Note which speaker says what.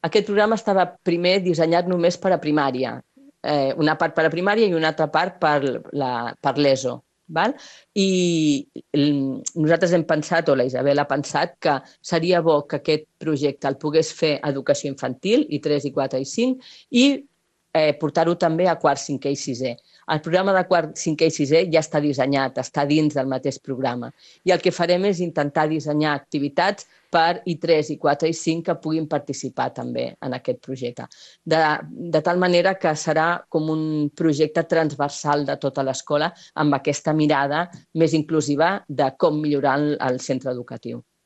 Speaker 1: Aquest programa estava primer dissenyat només per a primària, una part per a primària i una altra part per l'ESO. Val? I nosaltres hem pensat, o la Isabel ha pensat, que seria bo que aquest projecte el pogués fer educació infantil, i 3, i 4, i 5, i portar-ho també a quart, cinquè i sisè. El programa de quart, cinquè i sisè ja està dissenyat, està dins del mateix programa. I el que farem és intentar dissenyar activitats per I3, I4 i 5 que puguin participar també en aquest projecte. De tal manera que serà com un projecte transversal de tota l'escola amb aquesta mirada més inclusiva de com millorar el centre educatiu.